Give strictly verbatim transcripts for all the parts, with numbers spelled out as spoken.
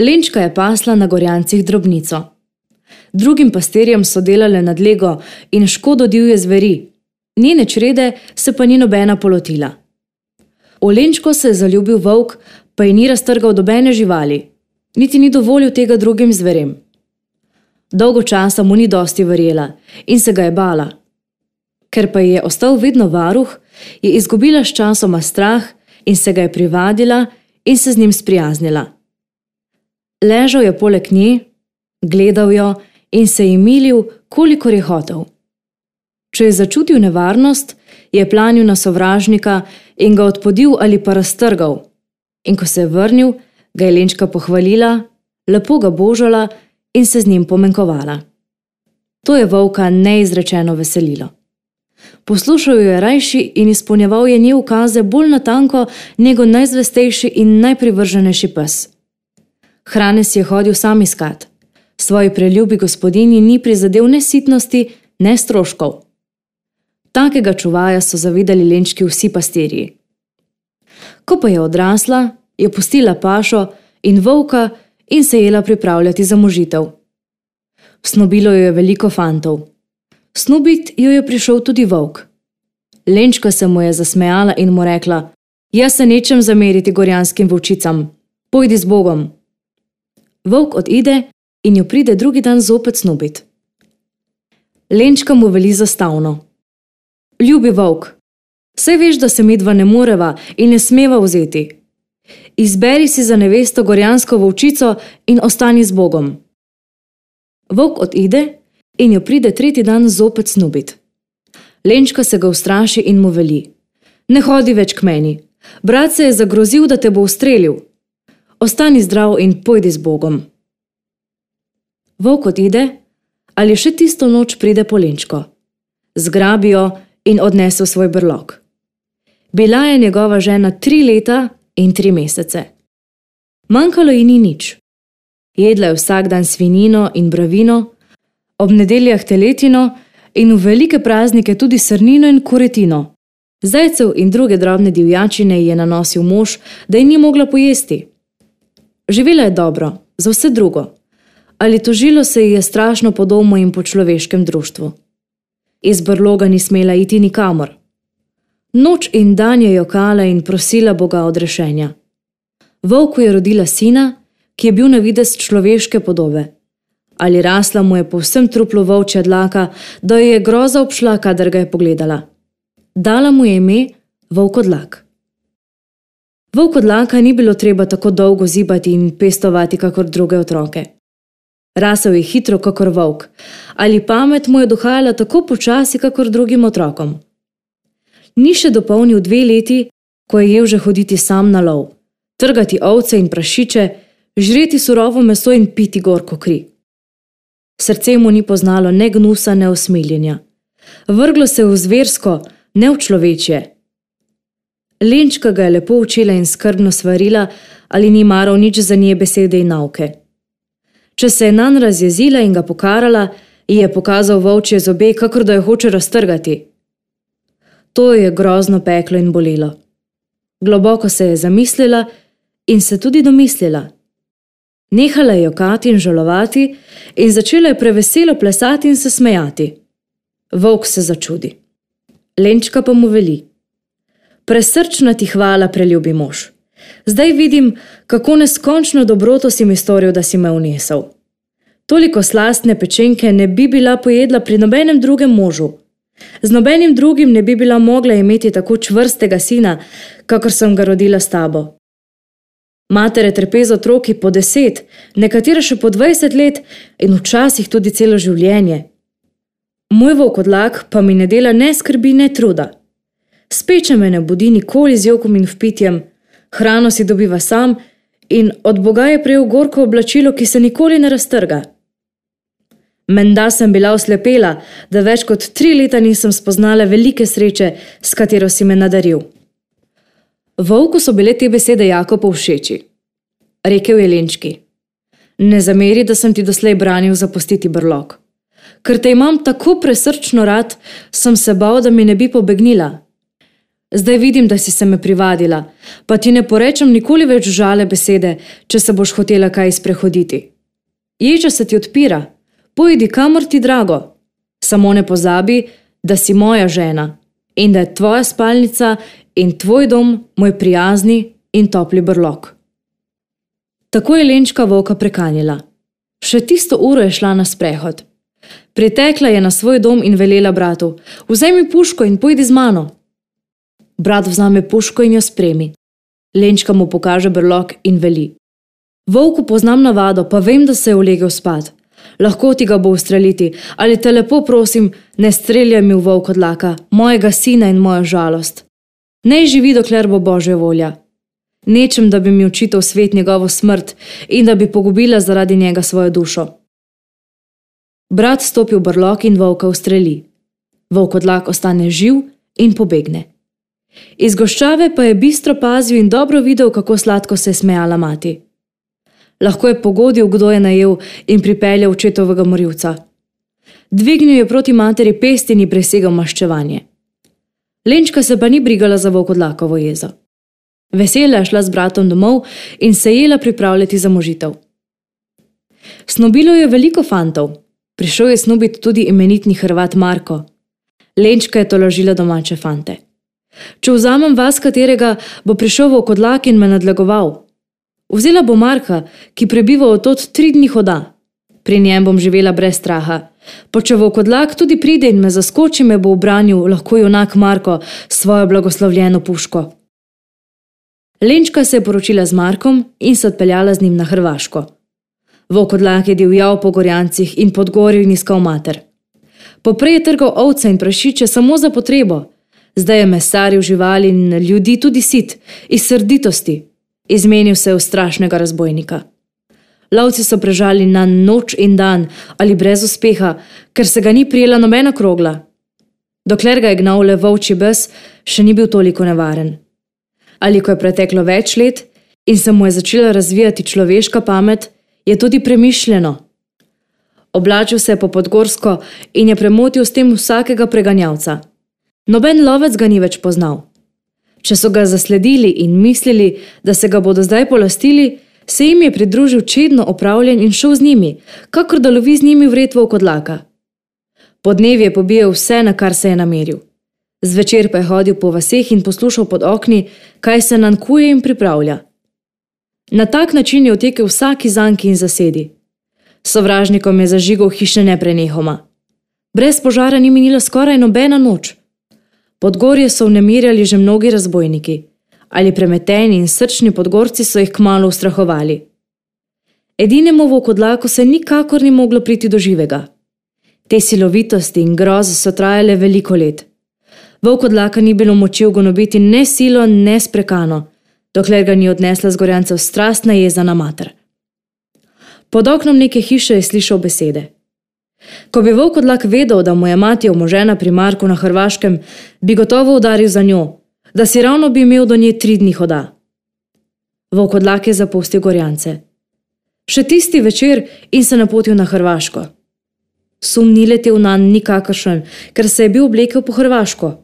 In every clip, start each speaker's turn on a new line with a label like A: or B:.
A: Lenčka je pasla na Gorjancih drobnico. Drugim pastirjem so delale nadlego in škodo divje zveri, njene črede se pa ni nobena polotila. V Lenčko se je zaljubil volk, pa ji ni raztrgal dobene živali, niti ni dovolil tega drugim zverem. Dolgo časa mu ni dosti verjela in se ga je bala. Ker pa ji je ostal vedno varuh, je izgubila s časoma strah in se ga je privadila in se z njim sprijaznila. Ležal je poleg nje, gledal jo in se ji milil, kolikor je hotel. Če je začutil nevarnost, je planil na sovražnika in ga odpodil ali pa raztrgal. In ko se je vrnil, ga je Lenčka pohvalila, lepo ga božala in se z njim pomenkovala. To je volka neizrečeno veselilo. Poslušal jo je rajši in izpolnjeval je nje ukaze bolj natanko nego najzvestejši in najprivrženejši pes. Hrane si je hodil sam iskat. Svoji preljubi gospodinji ni prizadel ne sitnosti, ne stroškov. Takega čuvaja so zavidali Lenčki vsi pastirji. Ko pa je odrasla, je pustila pašo in volka in se jela pripravljati za možitev. Snobilo jo je veliko fantov. Snubit jo je prišel tudi volk. Lenčka se mu je zasmejala in mu rekla: "Jaz se nečem zameriti gorjanskim volčicam, pojdi z Bogom." Volk odide in jo pride drugi dan zopet snubit. Lenčka mu veli zastavno: "Ljubi volk, saj veš, da se midva ne moreva in ne smeva vzeti. Izberi si za nevesto gorjansko volčico in ostani z Bogom." Volk odide in jo pride tretji dan zopet snubit. Lenčka se ga ustraši in mu veli: "Ne hodi več k meni, brat se je zagrozil, da te bo ustrelil. Ostani zdrav in pojdi z Bogom." Volk odide, ali še tisto noč pride po Lenčko. Zgrabi jo in odnese v svoj brlog. Bila je njegova žena tri leta in tri mesece. Manjkalo ji ni nič. Jedla je vsak dan svinjino in bravino, ob nedeljah teletino in v velike praznike tudi srnino in kuretino. Zajcev in druge drobne divjačine ji je nanosil mož, da ji ni mogla pojesti. Živela je dobro, za vse drugo, ali tožilo se ji je strašno po domu in po človeškem društvu. Iz brloga ni smela iti nikamor. Noč in dan je jokala in prosila Boga odrešenja. Volku je rodila sina, ki je bil na videz človeške podobe. Ali rasla mu je povsem truplo volčja dlaka, da jo je groza obšla, kadar ga je pogledala. Dala mu je ime Volkodlak. Volkodlaka ni bilo treba tako dolgo zibati in pestovati kakor druge otroke. Rasel je hitro kakor volk, ali pamet mu je dohajala tako počasi kakor drugim otrokom. Ni še dopolnil dve leti, ko je jel že hoditi sam na lov, trgati ovce in prašiče, žreti surovo meso in piti gorko kri. Srce mu ni poznalo ne gnusa, ne usmiljenja. Vrglo se v zversko, ne v človečje. Lenčka ga je lepo učila in skrbno svarila, ali ni maral nič za nje besede in nauke. Če se je nanj razjezila in ga pokarala, ji je pokazal volčje zobe, kakor da jo hoče raztrgati. To je grozno peklo in bolelo. Globoko se je zamislila in se tudi domislila. Nehala je jokati in žalovati in začela je preveselo plesati in se smejati. Volk se začudi. Lenčka pa mu veli: "Presrčna ti hvala, preljubi mož. Zdaj vidim, kako neskončno dobroto si mi storil, da si me unesel. Toliko slastne pečenke ne bi bila pojedla pri nobenem drugem možu. Z nobenim drugim ne bi bila mogla imeti tako čvrstega sina, kakor sem ga rodila s tabo. Matere trpe z otroki po deset, nekatere še po dvajset let in včasih tudi celo življenje. Moj volkodlak pa mi ne dela ne skrbi, ne truda. Speče me ne budi nikoli z jokom in vpitjem, hrano si dobiva sam in od Boga je prejel gorko oblačilo, ki se nikoli ne raztrga. Menda sem bila oslepela, da več kot tri leta nisem spoznala velike sreče, s katero si me nadaril." Volku so bile te besede jako povšeči. Rekel je Lenčki: "Ne zameri, da sem ti doslej branil zapustiti brlog. Ker te imam tako presrčno rad, sem se bal, da mi ne bi pobegnila. Zdaj vidim, da si se me privadila, pa ti ne porečem nikoli več žale besede, če se boš hotela kaj sprehoditi. Ječa se ti odpira, pojdi kamor ti drago. Samo ne pozabi, da si moja žena in da je tvoja spalnica in tvoj dom moj prijazni in topli brlog. Tako je Lenčka volka prekanjila. Še tisto uro je šla na sprehod. Pritekla je na svoj dom in velela bratu: "Vzemi puško in pojdi z mano." Brat vzame puško in jo spremi. Lenčka mu pokaže brlog in veli: "Volku poznam navado, pa vem, da se je ulegel spat. Lahko ti ga bo ustreliti, ali te lepo prosim, ne streljaj mi v volkodlaka, mojega sina in mojo žalost. Naj živi, dokler bo Božja volja. Nečem, da bi mi očital svet njegovo smrt in da bi pogubila zaradi njega svojo dušo." Brat stopi v brlog in volka ustreli. Volkodlak ostane živ in pobegne. Iz goščave pa je bistro pazil in dobro videl, kako sladko se je smejala mati. Lahko je pogodil, kdo je najel in pripeljal očetovega morilca. Dvignil je proti materi pest in ji presegal maščevanje. Lenčka se pa ni brigala za volkodlakovo jezo. Vesela je šla z bratom domov in se jela pripravljati za možitev. Snobilo je veliko fantov. Prišel je snubiti tudi imenitni Hrvat Marko. Lenčka je tolažila domače fante. "Če vzamem vas katerega, bo prišel volkodlak in me nadlegoval. Vzela bo Marka, ki prebiva od tod tri dni hoda. Pri njem bom živela brez straha. Pa če volkodlak tudi pride in me zaskoči, me bo ubranil lahko junak Marko s svojo blagoslovljeno puško." Lenčka se je poročila z Markom in se odpeljala z njim na Hrvaško. Volkodlak je divjal po Gorjancih in Podgorju in iskal mater. Poprej je trgal ovce in prašiče samo za potrebo. Zdaj je mesaril živali in ljudi tudi sit, iz srditosti. Izmenil se je v strašnega razbojnika. Lovci so prežali na noč in dan ali brez uspeha, ker se ga ni prijela nobena krogla. Dokler ga je gnal le volčji bes, še ni bil toliko nevaren. Ali ko je preteklo več let in se mu je začela razvijati človeška pamet, je tudi premišljeno. Oblačil se je po podgorsko in je premotil s tem vsakega preganjavca. Noben lovec ga ni več poznal. Če so ga zasledili in mislili, da se ga bodo zdaj polastili, se jim je pridružil čedno opravljen in šel z njimi, kakor da lovi z njimi vred volkodlaka. Podnevi je pobijal vse, na kar se je nameril. Zvečer pa je hodil po vaseh in poslušal pod okni, kaj se nankuje in pripravlja. Na tak način je otekel vsaki zanki in zasedi. Sovražnikom je zažigal hiše neprenehoma. Brez požara ni minila skoraj nobena noč. Podgorje so vnemirjali že mnogi razbojniki, ali premeteni in srčni Podgorci so jih kmalu ustrahovali. Edinemu volkodlaku se nikakor ni moglo priti do živega. Te silovitosti in groze so trajale veliko let. Volkodlaka ni bilo moči ugonobiti ne silo, ne sprekano, dokler ga ni odnesla z Gorjancev strastna jeza na mater. Pod oknom neke hiše je slišal besede. Ko bi volkodlak vedel, da mu je mati omožena pri Marku na Hrvaškem, bi gotovo udaril za njo, da si ravno bi imel do nje tri dni hoda. Volkodlak je zapustil Gorjance. Še tisti večer in se napotil na Hrvaško. Sum ni letel nanj nikakršen, ker se je bil oblekel po hrvaško.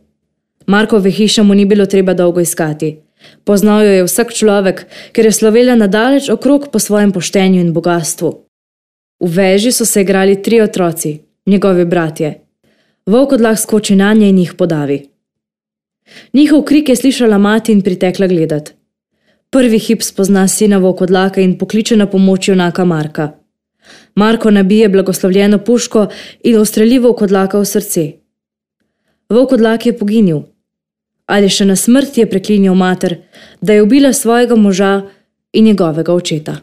A: Markove hiše mu ni bilo treba dolgo iskati. Poznal jo je vsak človek, ker je slovela nadaleč okrog po svojem poštenju in bogastvu. V veži so se igrali tri otroci, njegovi bratje. Volkodlak skoči nanje in jih podavi. Njihov krik je slišala mati in pritekla gledat. Prvi hip spozna sina volkodlaka in pokliče na pomoč junaka Marka. Marko nabije blagoslovljeno puško in ustreli volkodlaka v srce. Volkodlak je poginil, ali še na smrt je preklinjal mater, da je ubila svojega moža in njegovega očeta.